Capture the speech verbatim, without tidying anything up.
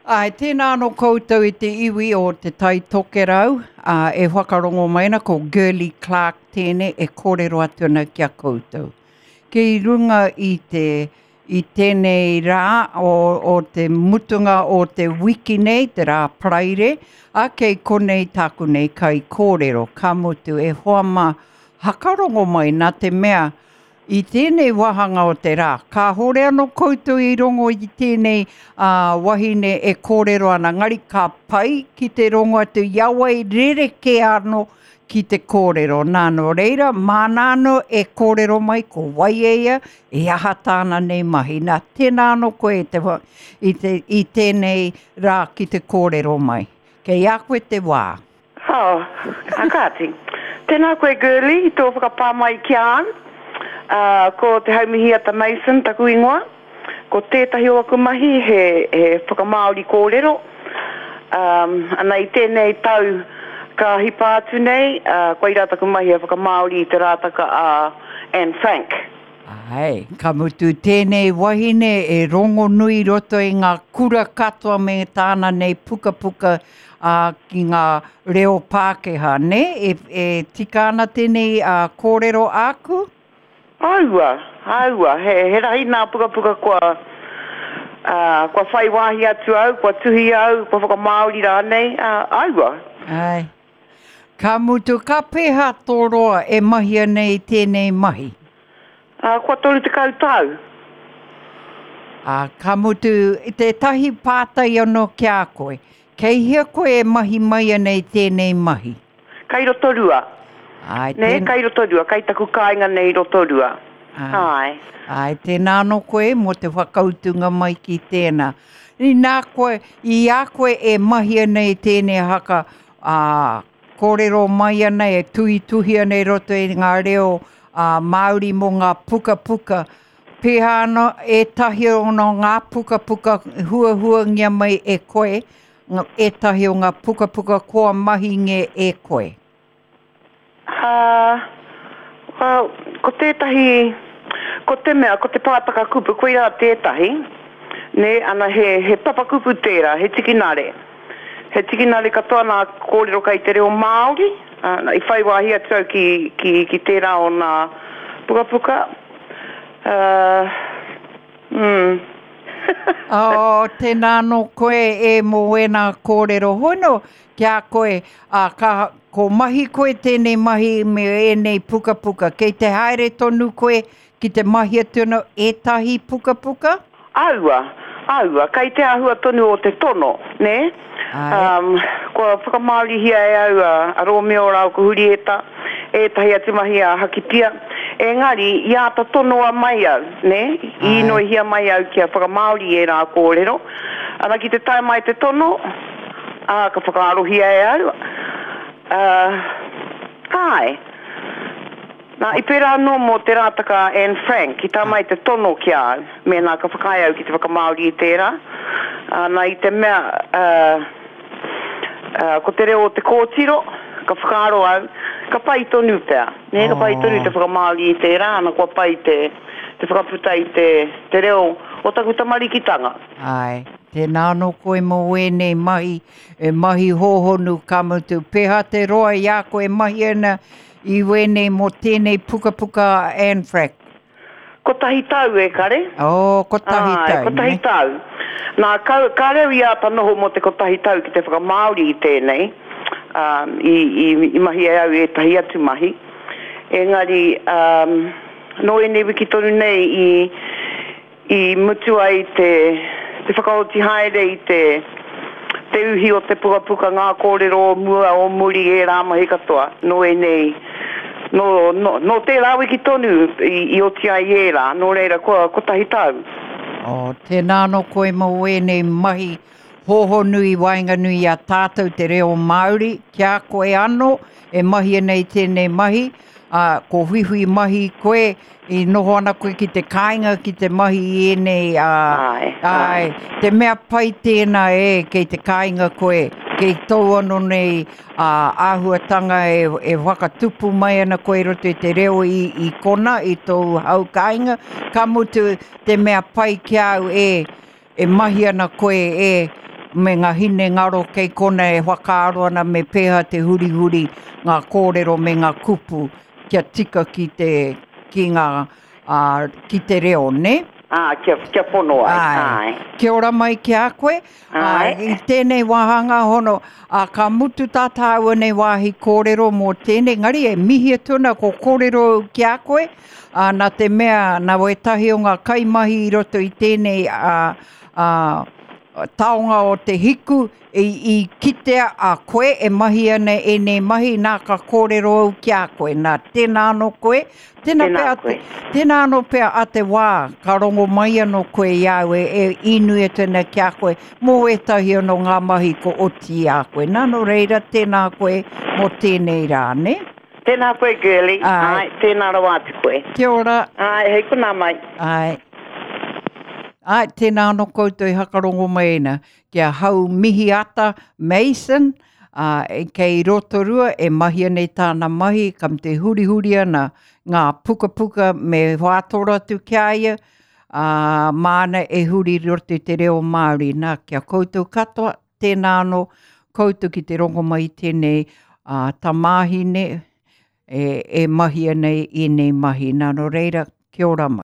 Ai, tēnā anō koutou i te iwi o Te Tai Tokerau, ā, e whakarongo mai ana ko Girlie Clarke tēnei e kōrero atu ana ki a koutou. Kei runga i te, i tēnei rā o, o te mutunga o te wiki nei, te rā Paraire, ā, kei konei tāku nei kaikōrero, ka mutu e hoa mā, hakarongo mai nā te mea, I tēnei wāhanga o te rā, kāhore anō koutou i rongo i tēnei wahine e kōrero ana, engari ka pai ki te rongo atu i a wai rerekē anō ki te kōrero. Nā, nō reira, māna anō e kōrero mai ko wai e ia, e aha tāna nei mahi. Nā, tēnā anō koe i te, i te, i tēnei rā ki te kōrero mai. Kei a koe te wā. Oh, a kāti. Tēnā koe Girlie i tō whakapā mai ki a au. Ā, ko Te Haumihiata Mason taku ingoa. Ko tētahi o aku mahi he, he whakamāori kōrero. Ā, ana i tēnei tau ka hipa atu nei, ā, koirā taku mahi he whakamāori i te rātaka a Anne Frank. Āe, ka mutu tēnei wahine e rongonui i roto i ngā kura katoa me tāna nei pukapuka ā, ki ngā reo Pākehā, nē? E, e tika ana tēnei ā, kōrero āku? Aua, aua, he, he rahi nā pukapuka kua, ā, kua whai wāhi atu au, kua tuhi au, kua whakamāori rānei, ā, aua. Āe. Ka mutu, ka pēhā tō roa e mahia nei tēnei mahi? Ā, kua toru tekau tau. Ā, ka mutu, tētahi pātai anō ki a koe. Kei hea koe e mahi mai ana i tēnei mahi? Kei Rotorua. Āe, Nē, tēn... kei Rotorua, kei taku kāinga nei i Rotorua. Āe. Āe. Āe, tēnā anō koe mō te whakautunga mai ki tēnā. Inā koe, i a koe e mahi ana i tēnei haka, ā, kōrero mai ana, e tuhituhi ana i roto i ngā reo ā, Māori mō ngā pukapuka. Pēhā ana ētahi o ngā pukapuka huahuangia mai e koe, ētahi o ngā pukapuka kua mahingia e koe? Ā, well, ko tētahi, ko te mea, ko te pātaka kupu, koirā tētahi, nē, ana he, he papakupu tērā, he tikinare. He tikinare katoa nā kōrero kei te reo Māori, ā, i whai wāhi atu au ki, ki, ki tērā o nā pukapuka. Ā, mm. Oh, tēnā anō koe e mō ēnā kōrero hono ki a koe, ā, ka, ko mahi koe tēnei mahi me ēnei pukapuka. Kei te haere tonu koe ki te mahi atu anō ētahi pukapuka? Aua, aua, kei te āhua tonu o te tono, nē? Āe. Um, kua whakamāorihia e au a, a Rōmeo rāua ko Hurieta, ētahi atu mahi a Hakipia, engari i āta tonoa mai au, nē? I Āe. īnoihia mai au kia whakamāori i ērā kōrero. Ana ki te tae mai te tono, ā, ka whakaarohia e au, ā, āe. Nā, i pērā anō mō te rātaka a Anne Frank, i tā mai te tono ki a au, mēnā ka whakaae au ki te whakamāori i tērā. Ā, nā, i te mea, ā, ā, ko te reo o te kōtiro, ka whakaaro au, ka pai tonu pea, nē, ka pai tonu te whakamāori i tērā, ana kua pai te, te whakaputa i te, te reo o taku tamarikitanga. Āe, tēnā anō koe mō ēnei mahi, e mahi hōhonu ka mutu. Pēhā te roa i a koe e mahi ana i wēnei mō tēnei pukapuka a Anne Frank? Kotahi tau e kare. Oh, kotahi Āe, tau, kotahi ne? tau. Nā, kau, kāre au i āta noho mō te kotahi tau ki te whakamāori i tēnei, ā, i, i, i mahi e au ētahi atu mahi. Engari, ā, nō ēnei wiki tonu nei i, I mutu ai te te whakaoti haere i te te uhi o te pukapuka, ngā kōrero o mua, o muri, ērā mahi katoa, nō ēnei, nō, nō, nō tērā wiki tonu i, i oti ai ērā, nō reira kua kotahi tau. Oh, tēnā anō koe mō ēnei mahi hōhonu i waenganui i a tātou te reo Māori, ki a koe anō e mahia nei tēnei mahi, ā, ko whiwhi mahi koe, i noho ana koe ki te kāinga ki te mahi i ēnei, ā, Āe, āe. āe, te mea pai tēnā e, kei te kāinga koe, kei tōu anō nei, ā, āhuatanga e, e whakatupu mai ana koe i roto i te reo i, i kona, i tōu hau kāinga, ka mutu te mea pai ki a au e, e mahi ana koe e, me ngā hinengaro kei kona e whakaaro ana me pēhea te hurihuri ngā kōrero me ngā kupu kia tika ki te, ki ngā, ā, ki te reo, nē? Ā, kia, kia pono ai, Āe. āe. Kia ora mai ki a koe. Āe. Ā, i tēnei wāhanga hono, ā, ka mutu tā tāua nei wāhi kōrero mō tēnei, engari e mihi atu ana ko kōrero au ki a koe, ā, nā te mea, nā wētahi o ngā kaimahi i roto i tēnei, ā, ā, taonga o te hiku, i, i kitea a koe e mahi ana ēnei mahi, nā ka kōrero au ki a koe, nā tēnā anō koe, tēnā Tēnā pea koe. tēnā anō pea a te wā, ka rongo mai anō koe i a au e, e inui atu ana ki a koe, mō ētahi anō ngā mahi ko oti i a koe. Nā, nō reira, tēnā koe mō tēnei rā, nē? Tēnā koe, Girlie. Āe. Āe, tēnā rawa atu koe. Kia ora. Āe, hei konā mai. Āe. Āe, tēnā anō koutou i hakarongo mai ana ki a Hau Mihiata Mason, ā, e kei Rotorua e mahi ana i tāna mahi, ka te hurihuri ana ngā pukapuka me whātoro atu ki a ia, ā, māna e huri i roto i te reo Māori. Nā, ki a koutou katoa, tēnā anō koutou ki te rongo mai i tēnei ā, tamāhine e, e mahi ana i ēnei mahi. Nā, nō reira, kia ora mai.